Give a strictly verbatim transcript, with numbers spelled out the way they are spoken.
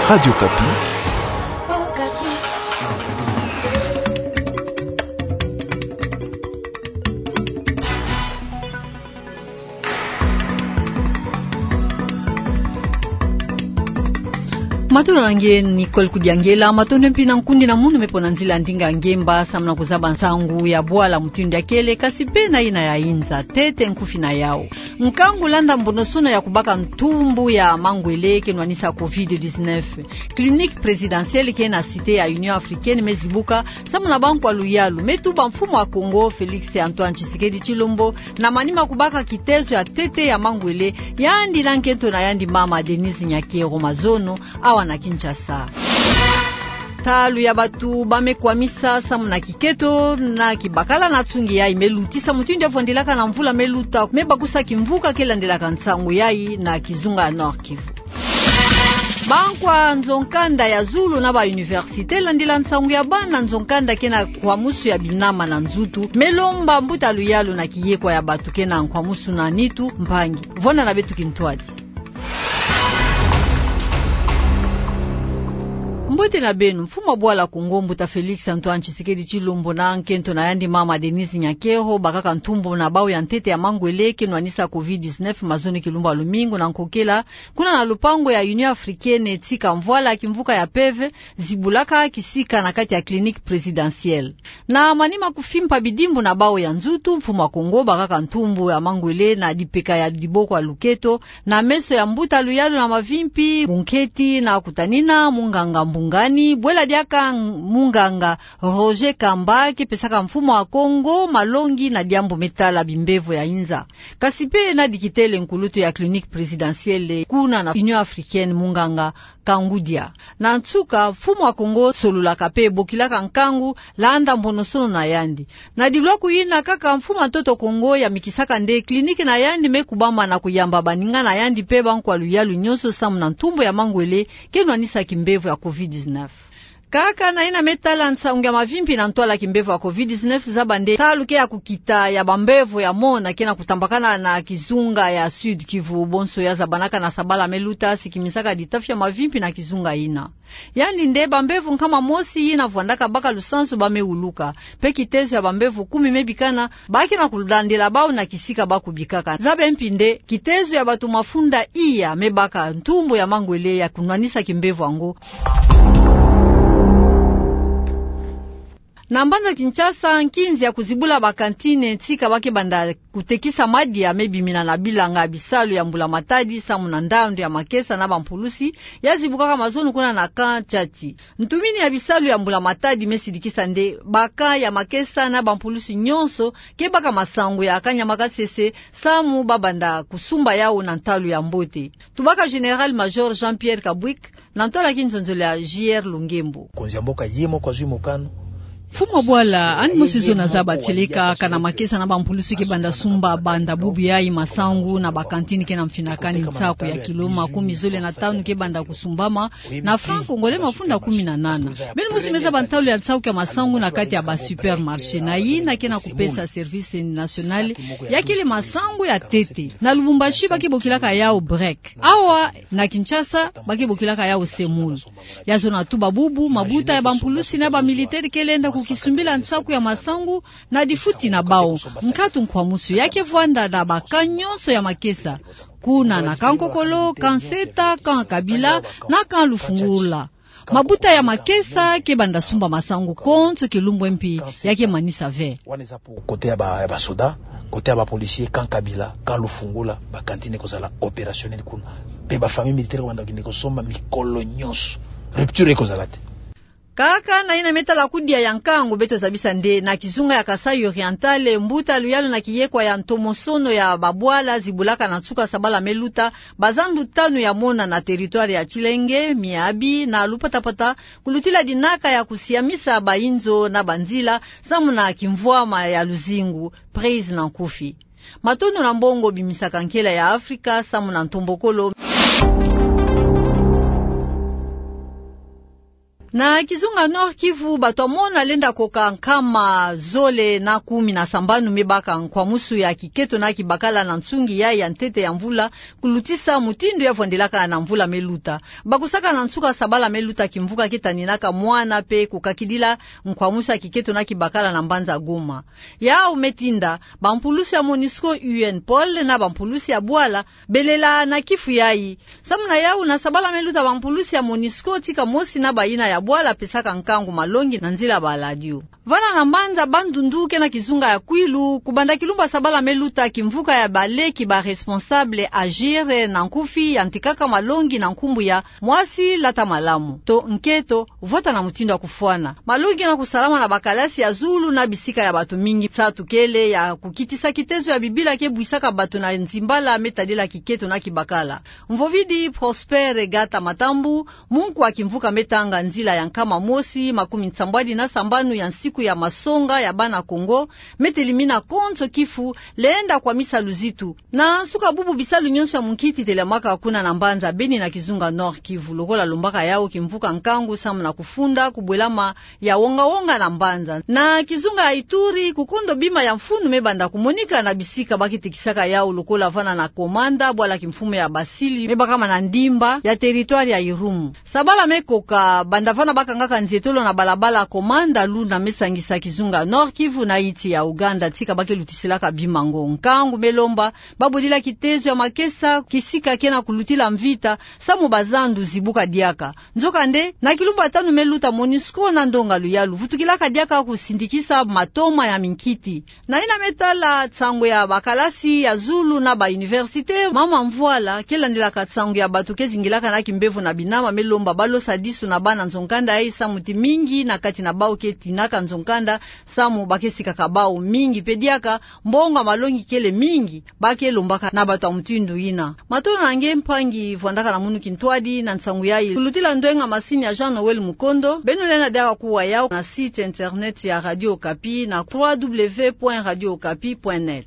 Radio Okapi. Matondo na nge Nicole Kudiangela, matondo mpi na nkundi na munu me pona nzila ya ndinga ngemba samu na kuzaba nsangu ya bwala mutindu ya kele, kasi pe na yina ya inza. Ntete nkufi na yau. Nkangu landa mbonosono ya kubaka ntumbu ya mangwele ke nwanisa covid dix-neuf. Clinique présidentielle ke na Cité ya Union Africaine me zibuka, samu na bankwa luyalu me tuba mfumu wa Kongo, Félix Antoine Tshisekedi Tshilombo, na manima kubaka kitezo ya ntete ya mangwele, yandi na nkento na yandi mama Denise Nyakero mazono, awa na Kinshasa. Ntalu ya batu ba me kwamisa samu na kiketo na kibakala na nsungi yayi me lutisa mutindu ya vwandilaka na mvula me luta, me bakusa kimvuka ke landilaka nsangu yayi na kizunga ya Nord-Kivu. Bankwa nzo-nkanda ya zulu na ba université, landila nsangu ya bana nzo-nkanda ke na nkwamusu ya binama na nzutu, me lomba mbuta luyalu na kiyekwa ya batu ke na nkwamusu na nitu mpangi. Vwanda na beto kintwadi. Mbote na beno. Mfumu wa bwala Kongo, mbuta Félix Antoine Tshisekedi Tshilombo na nkento na yandi mama Denise Nyakero bakaka ntumbu na bau ya ntete ya mangwele ke nwanisa covid dix-neuf mazono kilumbu ya lumingu na nkokela, kuna na lupangu ya Union Africaine, tika mvwala kimvuka ya peve zibulaka kisika na kati ya clinique présidentielle. Na manima kufimpa bidimbu na bau ya nzutu, mfumu wa Kongo bakaka ntumbu ya mangwele na dipeka ya diboko ya luketo, na meso ya mbuta luyalu na mavimpi, bunketi na kutanina munganga Mbungani, bwela diaka munganga Roger Kamba ke pesaka mfumu wa Kongo malongi na diambu me tala bimbevo ya inza. Kasi pe na dikitele nkulutu ya clinique présidentielle kuna na Union Africaine, munganga Kangudia. Na nsuka, mfumu wa Kongo sololaka pe bokilaka nkangu landa mbonosono na yandi. Na dilwaku yina kaka, mfumu wa ntoto Kongo yamikisaka nde clinique na yandi me kubama na kuyamba baninga na yandi pe bankwa luyalu nyonso samu na ntumbu ya mangwele ke nwanisa kimbevo ya covid dix-neuf. Kaka na yina me tala nsangu ya mavimpi na ntwala kimbevo ya covid dix-neuf, zaba nde ntalu ke ya kukita ya bambevo ya mona ke na kutambakana na kizunga ya Sud-Kivu, bonso ya zabanaka na sabala me luta sikimisaka ditafi ya mavimpi na kizunga yina. Yandi nde bambevo nkama mosi yina vwandaka baka lusansu ba me wuluka, pe kitezo ya bambevo kumi me bikana, ba ke na kulandila bau na kisika ba kubikaka. Zaba mpi nde kitezo ya batu mafunda iya me baka ntumbu ya mangwele ya kunwanisa kimbevo yango. Na mbanza Kinshasa, nkinzi ya kuzibula bakantine tika ba ke banda kutekisa madia me bimina na bilanga ya bisalu ya mbula matadi samu na ndandu ya makesa na bampulusi ya zibukaka mazono kuna na camp Tchati. Ntumini ya bisalu ya mbula matadi me sidikisa nde ba camp ya makesa na bampulusi nyonso ke baka masangu ya kanyama kasese samu ba banda kusumba yau na ntalu ya mbote. Tubaka Général-Major Jean-Pierre Kabwik na ntwala ya kinzonzolo ya J R Lungembo. Mokonzi ya mboka ye moko azwi mokano. Mfumu wa bwala, yandi mosi zona zaba tieleka, camp na makesa na bampulusi ke banda sumba banda bubu yayi masangu na bakantine ke na mfinakani nsaku ya kilo makumi zole na tanu ke banda kusumbama, na franc congolais mafunda kumi na nana. Beno mosi me zaba ntalu ya nsaku ya masangu na kati ya ba supermarché, na yina ke na kupesa service national ya kele masangu ya ntete. Na Lubumbashi ba ke bokilaka yau brique. Awa na Kinshasa ba ke bokilaka yau semoule. Ya zona tuba bubu, mabuta ya bampulusi na bamilitaire ke lenda kukisumbila nsaku ya masangu na difuti na bau. Nkatu nkwamusu ya ke vwanda na ba camp nyonso ya makesa, kuna na camp Kokolo, camp Seta, camp Kabila na camp Lufungula. Mabuta ya makesa ke banda sumba masangu konso kilumbu mpi ya ke manisa ve. Wana eza pour côté ya ba, ya ba soda, côté ya ba policier, camp Kabila, camp Lufungula, bakantine ekozala opérationnel kuna. Pe ba famille militaire ke banda kende kosomba mikolo nyonso. Rupture ekozala te. Kaka na yina me tala kudia ya nkangu, beto zabisa nde na kizunga ya Kasaï Oriental, mbuta luyalu na kiyekwa ya ntomosono ya babwala zibulaka na nsuka sabala me luta bazandu tanu ya mona na territoire ya Tshilenge, Miabi na Lupatapata, kulutila dinaka ya kusiamisa bayinzo na banzila samu na kimvwama ya luzingu, prise na nkufi. Matondo na mbongo bimisaka nkela ya Afrika samu na ntombokolo. Na kizunga Nord-Kivu, bato ya mona lenda koka nkama zole na kumi na sambanu me baka nkwamusu ya kiketo na kibakala na nsungi yayi ya ntete ya mvula, kulutisa mutindu ya vwandelaka na mvula me luta. Bakusaka na nsuka sabala me luta kimvuka ke taninaka mwana pe kukakidila nkwamusu ya kiketo na kibakala na mbanza Goma. Yawu me tinda bampulusi ya MONUSCO, UNPOL na bampulusi ya bwala belela na kifu yayi. Samu na yawu, na sabala me luta, bampulusi ya MONUSCO tika mosi na bayina ya bwala pesaka nkangu malongi na nzila ya baladio. Vana na mbanza Bandundu ke na kizunga ya Kwilu, kubanda kilumbu ya sabala me luta, kimvuka ya baleki ba responsable AGIR na nkufi yantikaka malongi na nkumbu ya Mwasi lata malamu, to nketo vwata na mutindu ya kufwana. Malongi ke na kusalama na bakalasi ya zulu na bisika ya bato mingi. Nsatu kele ya kukitisa kitezo ya bibila ke bwisaka bato na nzimbala me tadila kiketo na kibakala. Mvovidi Prosper Gata Matambu, munku ya kimvuka me tanga nzila ya nkama mosi makumi nsambwadi na sambanu ya nsiku ya masonga ya bana Kongo, me telimina konso kifu, lenda kwamisa luzitu. Na nsuka bubu, bisalu nyonso ya munkiti telamaka kuna na mbanza Beni na kizunga Nord-Kivu, lokola lombaka yawu kimvuka nkangu samu na kufunda kubwelama ya wonga-wonga na mbanza. Na kizunga ya Ituri, kukondo bima ya mfunu me banda kumonika na bisika ba ke tekisaka yawu, lokola vana na Komanda, bwala kimfumu ya Basili me bakama na ndimba ya territoire ya Irumu. Sabala me koka, banda vana ba kangaka nzietolo na balabala Komanda Luna me sangisa kizunga Nord-Kivu na yiti ya Ouganda, tika ba ke lutisilaka bima ngo. Nkangu me lomba ba bodila kitezo ya makesa kisika ke na kulutila mvita, samu bazandu zibuka diaka. Nzokande, na kilumbu ya tanu me luta, MONUSCO na ndonga luyalu vutukilaka diaka kusindikisa matoma ya minkiti. Na yina me tala nsangu ya bakalasi ya zulu na ba université, Mama Mvwala, ke landilaka nsangu ya bato ke zingilaka na kimbevo na binama, me lomba ba losa disu na bana nzo-nkanda yayi, samu ti mingi na kati na bawu ke tinaka nzo-nkanda, samu ba ke sikaka bawu mingi. Pe diaka, mbongo ya malongi kele mingi, ba ke lombaka na bato ya mutindu yina. Matondo na nge mpangi vwandaka na munu kintwadi na nsangu yayi. Kulutila ndwenga masini ya Jean Noël Mukondo, beno lenda diaka kuwa yawu na site internet ya Radio Okapi na trois W point radio okapi point net.